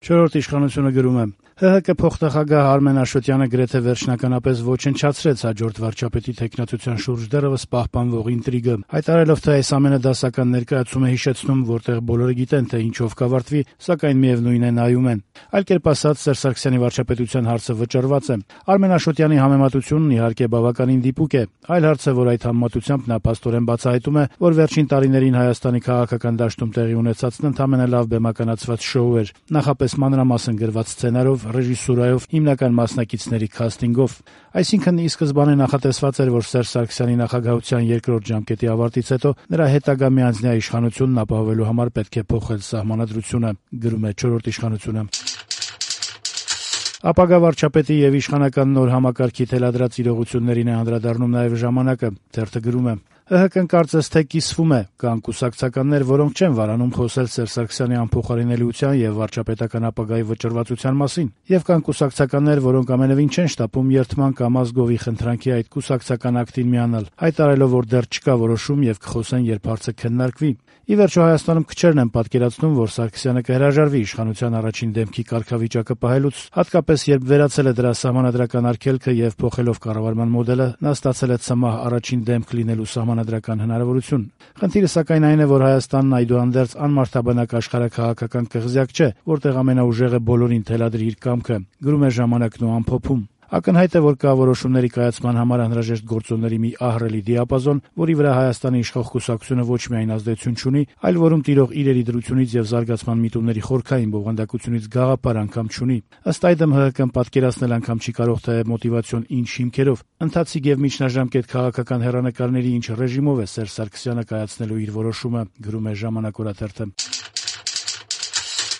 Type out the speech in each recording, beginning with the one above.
Չորրորդ իշխանությունը գրում է. ՀՀԿ փոխնախագահ Արմեն Աշոտյանը գրեթե վերջնականապես ոչնչացրեց հաջորդ վարչապետի թեկնածության շուրջ դեռևս պահպանվող ինտրիգը, հայտարարելով, թե այս ամենը դասական ներկայացում է հիշեցնում, որտեղ բոլորը գիտեն, թե ինչով կավարտվի, սակայն միևնույն է նայում են։ Այլ կերպ ասած, Սերժ Սարգսյանի վարչապետության հարցը վճռված է։ Արմեն Աշոտյանի համեմատությունն իհարկե բավականին դիպուկ է։ Այլ հարց է, որ այդ համեմատությամբ նա փաստորեն բացահայտում է, որ վերջին տարիներին Հայաստանի քաղաքական դաշտում տեղի ունեցածն ընդամենը լավ բեմականացված շոու էր, նախապես մանրամասն գրված սցենարով, ռեժիսուրայով, հիմնական մասնակիցների քաստինգով։ Այսինքն, ի սկզբանե նախատեսված էր, որ Սերժ Սարգսյանի նախագահության երկրորդ ժամկետի ավարտից հետո նրա հետագա միանձնյա իշխանությունն ապահովելու համար պետք է փոխել սահմանադրությունը, գրում է Չորրորդ իշխանությունը։ Ապագա վարչապետի եւ իշխանական նոր համակարգի թելադրած իրողություններին է անդրադառնում նաեւ ժամանակը, թերթը գրում է. ՀՀԿ-ն կարծես թե կիսվում է, կան կուսակցականներ, որոնք չեն վարանում խոսել Սերժ Սարգսյանի անփոխարինելիության եւ վարչապետական ապագայի վճռվածության մասին, եւ կան կուսակցականներ, որոնք ամենևին չեն շտապում երթման կամ ազգովի խնդրանքի այդ կուսակցական ակտին միանալ, հայտարարելով, որ դեռ չկա որոշում եւ կխոսեն, երբ հարցը քննարկվի։ Ի վերջո Հայաստանում քչերն են պատկերացնում, որ Սարգսյանը կհրաժարվի իշխանության առաջին դեմքի կարգավիճակը պահելուց, հատկապես երբ վերացել է դրա սահմանադրական արգելքը եւ փոխելով կառավարման մոդելը, նա ստացել է ցմահ առաջին դեմք լինելու սահմանադրական հնարավորություն։ Խնդիրը սակայն այն է, որ Հայաստանն այդուհանդերձ անմարդաբանակ աշխարհաքաղաքական կղզյակ չէ, որտեղ ամենաուժեղը բոլորին թելադրի իր կամքը, գրում է Ժամանակն ու ամփոփում։ Ակնհայտ է, որ կա որոշումների կայացման համար անհրաժեշտ գործոնների մի ահռելի դիապազոն, որի վրա Հայաստանի իշխող կուսակցությունը ոչ միայն ազդեցություն չունի, այլ որում տիրող իրերի դրությունից եւ զարգացման միտումների խորքային բովանդակությունից գաղափար անգամ չունի։ Ըստ այդմ ՀՀԿ-ն պատկերացնել անգամ չի կարող, թե մոտիվացիոն ինչ հիմքերով, ընթացիկ եւ միջնաժամկետ քաղաքական հեռանկարների ինչ ռեժիմով է Սերժ Սարգսյանը կայացնելու իր որոշումը, գրում է Ժամանակ օրաթերթը։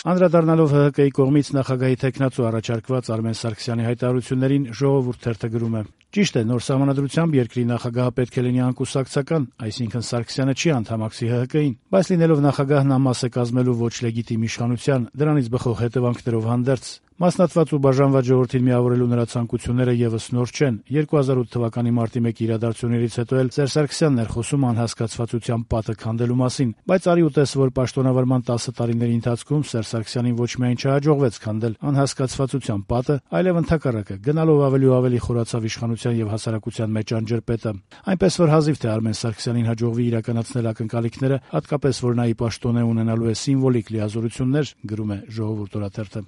Անդրադառնալով ՀՀԿ-ի կողմից նախագահի թեկնածու առաջարկված Արմեն Սարգսյանի հայտարարություններին, Ժողովուրդ թերթը գրում է. Ճիշտ է, նոր սահմանադրությամբ երկրի նախագահը պետք է լինի անկուսակցական, այսինքն Սարգսյանը չի անդամակցի ՀՀԿ-ին, բայց լինելով նախագահ նա մաս է կազմելու ոչ լեգիտիմ իշխանության, դրանից բխող հետևանքներով հանդերձ։ Մասնատված ու բաժանված ժողովրդին միավորելու նրա ցանկությունները եւս նոր չեն։ 2008 թվականի մարտի 1 իրադարձություններից հետո էլ Սերժ Սարգսյանն էր խոսում անհասկացվածության պատը քանդելու մասին, բայց արի ու տես, որ պաշտոնավարման 10 տարիների ընթացքում Սերժ Սարգսյանին ոչ միայն չհաջողվեց քանդել անհասկացվածության պատը, այլև ընդհակառակը գնալով ավելի ու ավելի խորացավ իշխանության եւ հասարակության մեջ անջրպետը։ Այնպես որ հազիվ թե Արմեն Սարգսյանին հաջողվի իրականացնել ակնկալիքները, հատկապես որ նա ի պաշտոնե ունենալու է սիմվոլիկ լիազորություններ, գրում է Ժողովուրդ օրաթերթը։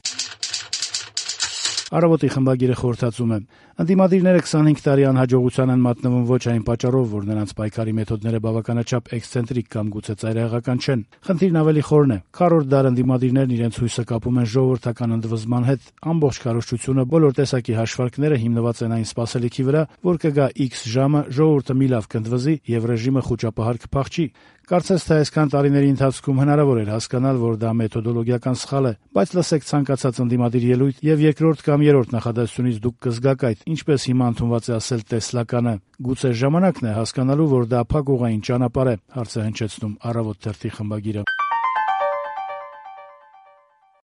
Առավոտի խմբագիրը խորհրդածում է. ընդդիմադիրները 25 տարի անհաջողության են մատնվում ոչ այն պատճառով, որ նրանց պայքարի մեթոդները բավականաչափ էքսցենտրիկ կամ գուցե ծայրահեղական չեն։ Խնդիրն ավելի խորն է։ Քառորդ դար ընդդիմադիրներն իրենց հույսը կապում են ժողովրդական ընդվզման հետ։ Ամբողջ քարոզչությունը, բոլոր տեսակի հաշվարկները հիմնված են այն սպասելիքի վրա, որ կգա X ժամը, ժողովուրդը մի լավ կընդվզի եւ ռեժիմը խոճապահար կփախչի։ Կարծես թե այսքան տարիների ընթացքում հնարավոր էր հասկանալ, որ դա մեթոդոլոգիական սխալ է, բայց լսեք ցանկացած ընդդիմադիր ելույթ եւ երկրորդ կամ երրորդ նախադասությունից դուք կզգաք այդ, ինչպես հիմա ընդունված է ասել տեսլականը։ Գուցե ժամանակն է հասկանալու, որ դա փակուղային ճանապարհ է, հարց է հնչեցնում Առավոտ թերթի խմբագիրը։